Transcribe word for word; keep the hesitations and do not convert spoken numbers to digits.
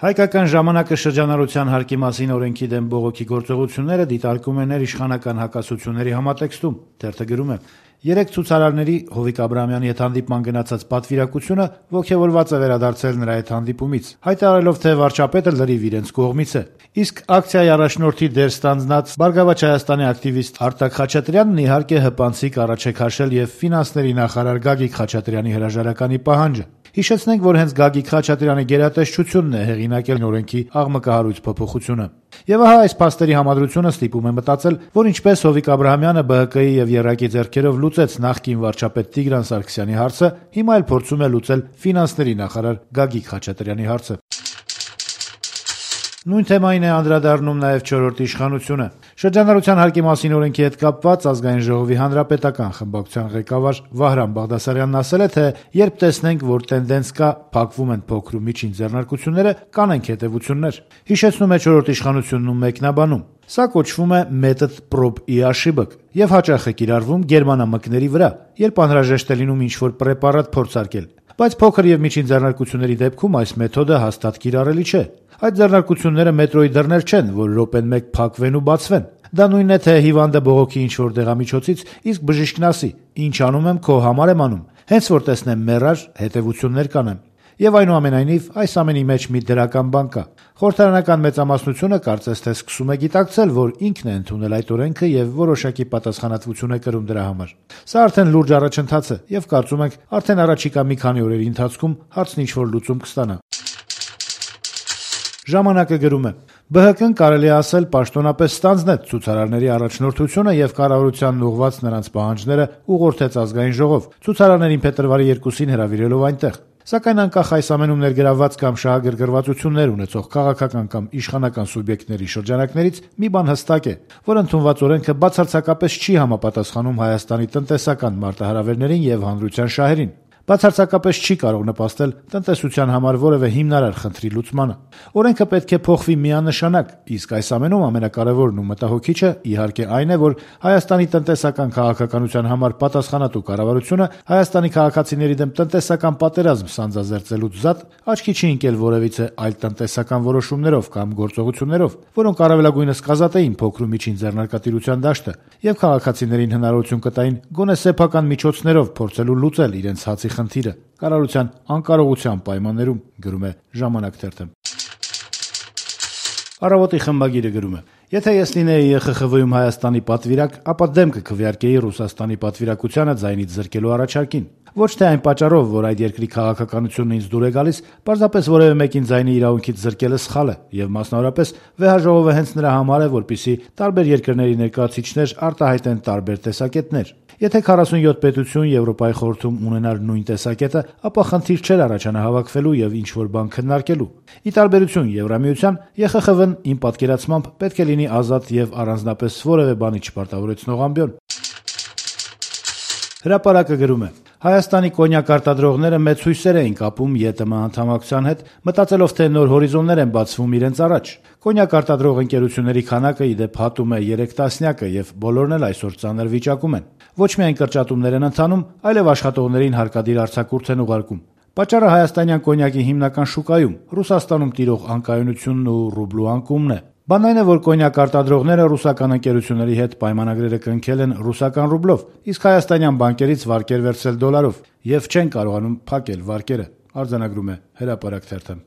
Հայկական ժամանակը շրջանառության հարկի մասին օրենքի դեմ բողոքի գործողությունները դիտարկում են ներիշխանական հակասությունների համատեքստում։ Թերթը գրում է. երեք ցուցարարների Հովիկ Աբրահամյանի հետ հանդիպման գնացած պատվիրակությունը ոգևորված է վերադարձել նրա հետ հանդիպումից, հայտարարելով, թե վարչապետը լրիվ իրենց կողմից է։ Իսկ ակցիայի առաջնորդի դեր ստանձնած Բարգավաճ Հայաստանի ակտիվիստ Արտակ Խաչատրյանն իհարկե հպանցիկ առաջ է քաշել եւ ֆինանսների նախարար Գագիկ Խաչատրյանի հրաժարականի պահանջը։ Հիշեցնենք, որ հենց Գագիկ Խաչատրյանի գերատեսչությունն է հեղինակել օրենքի աղմկահարույց փոփոխությունը։ Եվ ահա այս փաստերի համադրությունը ստիպում է մտածել, որ ինչպես Հովիկ Աբրահամյանը B H K-ի եւ ԵՌԱԿ-ի ձեռքերով լուծեց նախկին վարչապետ Տիգրան Սարգսյանի հարցը, հիմա էլ փորձում է լուծել ֆինանսների նախարար Գագիկ Խաչատրյանի հարցը։ Նույն թեմային է անդրադառնում նաև չորրորդ իշխանությունը։ Շրջանառության հարկի մասին օրենքի հետ կապված Ազգային ժողովի հանրապետական խմբակցության ղեկավար Վահրամ Բաղդասարյանն ասել է, թե երբ տեսնենք, որ տենդենս կա, փակվում են փոքր ու միջին ձեռնարկությունները, կանենք հետևություններ։ Հիշեցնում է չորրորդ իշխանությունն ու մեկնաբանում. Սա կոչվում է մեթոդ prób i ошибок եւ հաճախ է կիրառվում գերմանամկների վրա, երբ անհրաժեշտ է լինում ինչ-որ պրեպարատ փորձարկել։ Բայց փոքր եւ միջին ձեռնարկությունների դեպքում այս մեթոդը հաստատ կիրառելի չէ։ Այդ ձեռնարկությունները մետրոյի դռներ չեն, որ րոպեն մեկ փակվեն ու բացվեն։ Դա նույնն է, թե հիվանդը բողոքի ինչ-որ դեղամիջոցից, իսկ բժիշկն ասի. «Ինչ անում եմ, քո համար եմ անում»։ Հենց որ տեսնեմ մեռար, հետևություններ կանեմ։ Եվ այնուամենայնիվ, այս ամենի մեջ մի դրական բան կա։ Խորհրդարանական մեծամասնությունը կարծես թե սկսում է գիտակցել, որ ինքն է ընդունել այդ օրենքը եւ որոշակի պատասխանատվություն է կրում դրա համար։ Սա արդեն լուրջ առաջընթաց է եւ կարծում ենք արդեն առաջիկա մի քանի օրերի ընթացքում հարցն ինչ-որ լուծում կստանա։ Ժամանակը գրում է. B H K-ն կարելի է ասել պաշտոնապես ստանձնեց ցուցարարների առաջնորդությունը եւ կառավարությանն ուղղված նրանց պահանջները ուղղորդեց Ազգային ժողով, ցուցարարներին փետրվարի երկուսին հրավիրելով այնտեղ։ Սակայն անկախ այս ամենում ներգրավված կամ շահագրգռվածություններ ունեցող քաղաքական կամ իշխանական սուբյեկտների շրջանակներից մի բան հստակ է, որ ընդունված օրենքը բացարձակապես չի համապատասխանում Հայաստանի տնտեսական մարտահրավերներին եւ հանրության շահերին։ Բացարձակապես չի կարող նպաստել տնտեսության համար որևէ հիմնարար խնդրի լուծմանը։ Օրենքը պետք է փոխվի միանշանակ, իսկ այս ամենում ամենակարևորն ու մտահոգիչը իհարկե այն է, որ Հայաստանի տնտեսական քաղաքականության համար պատասխանատու կառավարությունը Հայաստանի քաղաքացիների դեմ տնտեսական պատերազմ սանձազերծելուց զատ աչքի չի ընկել որևիցե այլ տնտեսական որոշումներով կամ գործողություններով, որոնք առավելագույնս կազատեին փոքր ու միջին ձեռնարկատիրության դաշտը եւ քաղաքացիներին հնարավորություն կտային գոնե սեփական միջոցներով փորձելու լուծել իրենց հացի խնդիրը կառավարության անկարողության պայմաններում, գրում է Ժամանակ թերթը։ Առավոտի խմբագիրը գրում է. Եթե ես լինեի Ե Խ Խ V-ում Հայաստանի պատվիրակ, ապա դեմ կքվեարկեի Ռուսաստանի պատվիրակությանը ձայնից զրկելու առաջարկին։ Ոչ թե այն պատճառով, որ այդ երկրի քաղաքականությունն ինձ դուր է գալիս, պարզապես որևէ մեկին ձայնի իրավունքից զրկելը սխալ է, եւ մասնավորապես վեհաժողովը հենց նրա համար է, որպեսզի տարբեր երկրների ներկայացուցիչներ արտահայտեն տարբեր տեսակետներ։ Եթե քառասունյոթ պետություն Եվրոպայի խորհրդում ունենար նույն տեսակետը, ապա խնդիր չէր առաջանա հավաքվելու եւ ինչ-որ բան քննարկելու։ Ի տարբերություն Եվրամիության, Ե Խ Խ V-ն իմ պատկերացմամբ պետք է լինի ազատ եւ առանձնապես որևէ բանի չպարտավորեցնող ամբիոն։ Հրապարակը գրում է. Հայաստանի կոնյակ արտադրողները մեծ հույսեր էին կապում Ե Տ Մ անդամակցության հետ, մտածելով, թե նոր հորիզոններ են բացվում իրենց առաջ։ Կոնյակ արտադրող ընկերությունների քանակը ի դեպ հատում է երեք տասնյակը եւ բոլորն էլ այսօր ծանր վիճակում են։ Ոչ միայն կրճատումներ են ընթանում, այլև աշխատողներին հարկադիր արձակուրդ են ուղարկում։ Պատճառը հայաստանյան կոնյակի հիմնական շուկայում, Ռուսաստանում տիրող անկայունությունն ու ռուբլու անկումն է։ Բանն այն է, որ կոնյակ արտադրողները ռուսական ընկերությունների հետ պայմանագրերը կնքել են ռուսական ռուբլով, իսկ հայաստանյան բանկերից վարկեր վերցրել դոլարով եւ չեն կարողանում փակել վարկերը, արձանագրում է Հրապարակ թերթը։